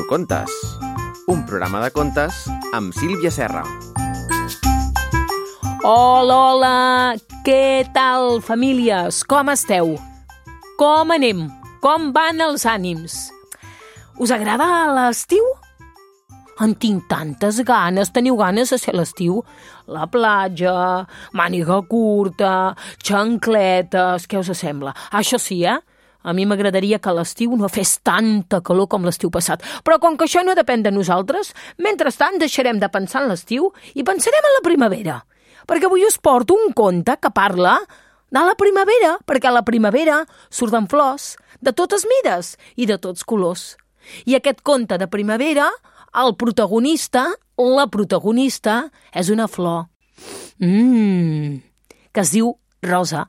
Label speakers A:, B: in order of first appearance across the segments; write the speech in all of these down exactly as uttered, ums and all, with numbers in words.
A: Contes, un programa de contes amb Sílvia Serra.
B: Hola, hola! Què tal, famílies? Com esteu? Com anem? Com van els ànims? Us agrada l'estiu? En tinc tantes ganes. Teniu ganes de ser l'estiu? La platja, màniga curta, xancletes... Què us sembla? Això sí, eh? A mi m'agradaria que l'estiu no fes tanta calor com l'estiu passat. Però com que això no depèn de nosaltres, mentrestant deixarem de pensar en l'estiu i pensarem en la primavera. Perquè avui us porto un conte que parla de la primavera, perquè a la primavera surten flors de totes mides i de tots colors. I aquest conte de primavera, el protagonista, la protagonista, és una flor mmm, que es diu rosa.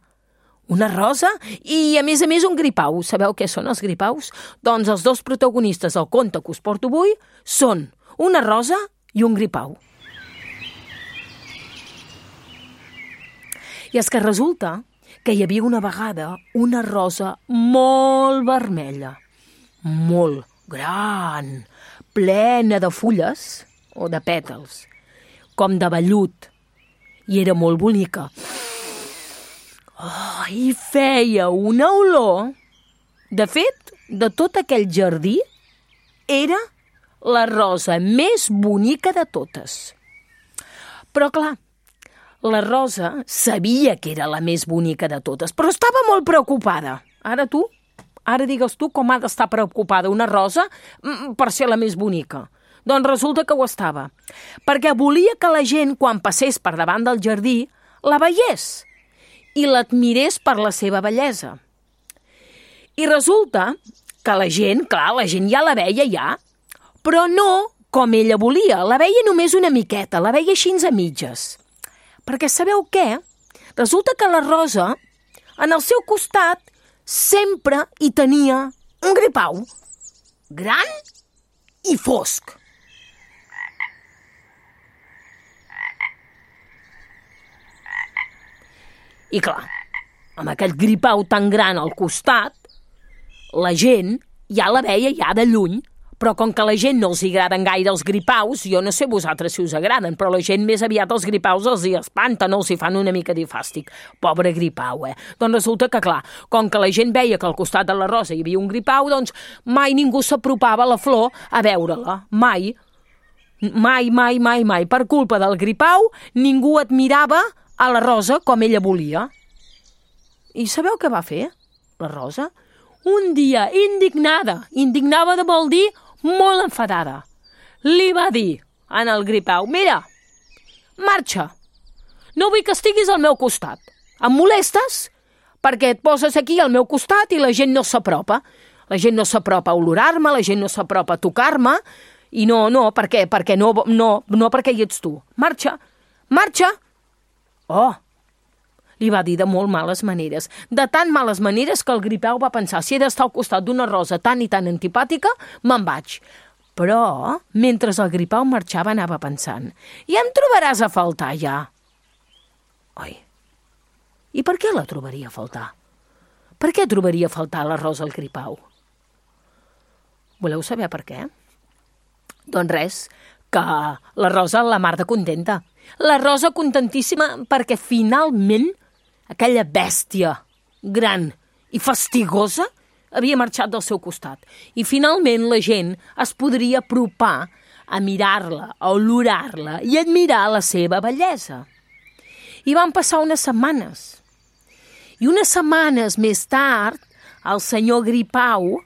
B: Una rosa i, a més a més, un gripau. Sabeu què són els gripaus? Doncs els dos protagonistes del conte que us porto avui són una rosa i un gripau. I és que resulta que hi havia una vegada una rosa molt vermella, molt gran, plena de fulles o de pètals, com de vellut, i era molt bonica. Oh, i feia una olor. De fet, de tot aquell jardí, era la rosa més bonica de totes. Però, clar, la rosa sabia que era la més bonica de totes, però estava molt preocupada. Ara tu, ara digues tu com ha d'estar preocupada una rosa per ser la més bonica. Doncs resulta que ho estava, perquè volia que la gent, quan passés per davant del jardí, la veiés i l'admirés per la seva bellesa. I resulta que la gent, clar, la gent ja la veia ja, però no com ella volia, la veia només una miqueta, la veia així a mitges. Perquè sabeu què? Resulta que la rosa, en el seu costat, sempre hi tenia un gripau, gran i fosc. I clar, amb aquest gripau tan gran al costat, la gent ja la veia ja de lluny, però com que a la gent no els agraden gaire els gripaus, jo no sé vosaltres si us agraden, però la gent més aviat els gripaus els hi espanten, els hi fan una mica de fàstic. Pobre gripau, eh? Doncs resulta que, clar, com que la gent veia que al costat de la rosa hi havia un gripau, doncs mai ningú s'apropava a la flor a veure-la. Mai. Mai, mai, mai, mai. Per culpa del gripau, ningú admirava a la rosa com ella volia. I sabeu què va fer, la rosa? Un dia, indignada, indignada de vol dir molt enfadada, li va dir en el gripau: mira, marxa, no vull que estiguis al meu costat. Em molestes perquè et poses aquí al meu costat i la gent no s'apropa. La gent no s'apropa a olorar-me, la gent no s'apropa a tocar-me, i no, no, per què? Perquè no, no, no perquè hi ets tu. Marxa, marxa. Oh, li va dir de molt males maneres, de tan males maneres que el gripau va pensar: si he d'estar al costat d'una rosa tan i tan antipàtica, me'n vaig. Però, mentre el gripau marxava, anava pensant: i em trobaràs a faltar ja. Oi, i per què la trobaria a faltar? Per què trobaria a faltar la rosa al gripau? Voleu saber per què? Doncs res, que la rosa la mar de contenta. La rosa contentíssima perquè finalment aquella bèstia gran i fastigosa havia marxat del seu costat. I finalment la gent es podria apropar a mirar-la, a olorar-la i admirar la seva bellesa. I van passar unes setmanes. I unes setmanes més tard, el senyor gripau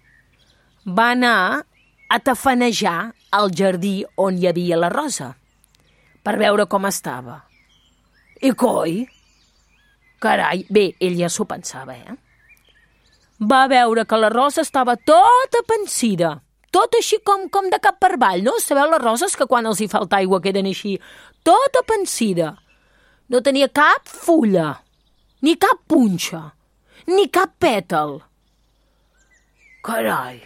B: va anar a tafanejar al jardí on hi havia la rosa, per veure com estava. I coi, carai, bé, ell ja s'ho pensava, eh? Va veure que la rosa estava tota pansida, tot així com, com de cap per avall, no? Sabeu les roses que quan els hi falta aigua queden així, tota pansida. No tenia cap fulla, ni cap punxa, ni cap pètal. Carai,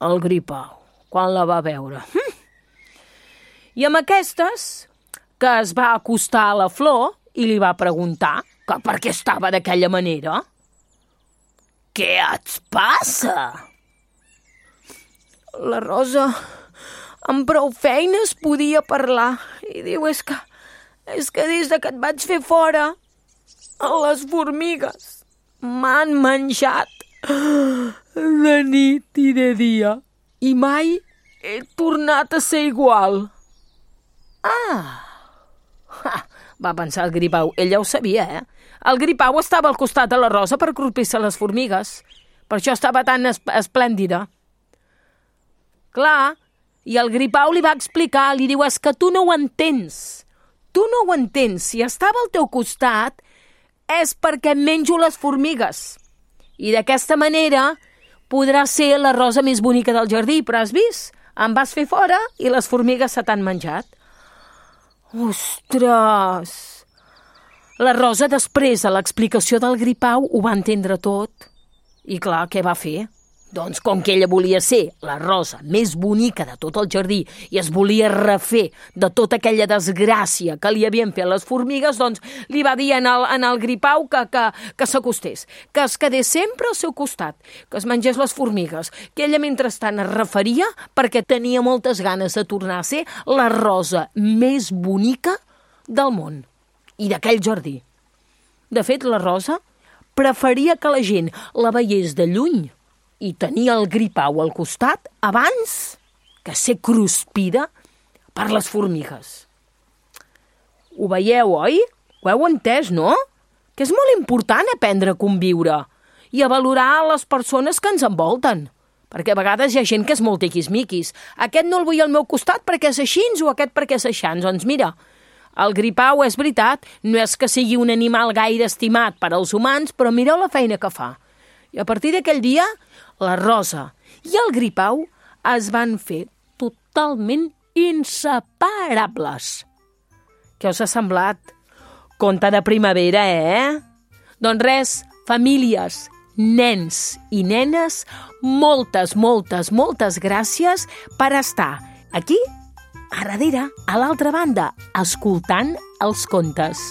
B: el gripau, quan la va veure. Hm. I amb aquestes, que es va acostar a la flor i li va preguntar que per què estava d'aquella manera. Què et passa? La rosa amb prou feines podia parlar. I diu, és que, és que des de que et vaig fer fora, les formigues m'han menjat de nit i de dia. I mai he tornat a ser igual. Ah! Ha, va pensar el Gripau. Ell ja ho sabia, eh? El Gripau estava al costat de la Rosa per cruspir-se les formigues. Per això estava tan es esplèndida. Clar, i el Gripau li va explicar, li diu, és que tu no ho entens. Tu no ho entens. Si estava al teu costat és perquè menjo les formigues. I d'aquesta manera podrà ser la rosa més bonica del jardí, però has vist? Em vas fer fora i les formigues se t'han menjat. Ostres! La Rosa, després de l'explicació del Gripau, ho va entendre tot. I clar, què va fer? Doncs com que ella volia ser la rosa més bonica de tot el jardí i es volia refer de tota aquella desgràcia que li havien fet les formigues, doncs li va dir en el, en el Gripau que, que, que s'acostés, que es quedés sempre al seu costat, que es mengés les formigues, que ella mentrestant es referia perquè tenia moltes ganes de tornar a ser la rosa més bonica del món i d'aquell jardí. De fet, la Rosa preferia que la gent la veiés de lluny i tenia el Gripau al costat abans que ser cruspida per les formigues. Ho veieu, oi? Ho heu entès, no? Que és molt important aprendre a conviure i a valorar les persones que ens envolten. Perquè a vegades hi ha gent que és molt tiquismiquis. Aquest no el vull al meu costat perquè és així o aquest perquè és així. Doncs mira, el Gripau, és veritat, no és que sigui un animal gaire estimat per als humans, però mireu la feina que fa. I a partir d'aquell dia, la Rosa i el Gripau es van fer totalment inseparables. Què us ha semblat? Conte de primavera, eh? Doncs res, famílies, nens i nenes, moltes, moltes, moltes gràcies per estar aquí, a darrere, a l'altra banda, escoltant els contes.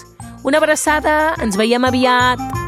B: Una abraçada, ens veiem aviat.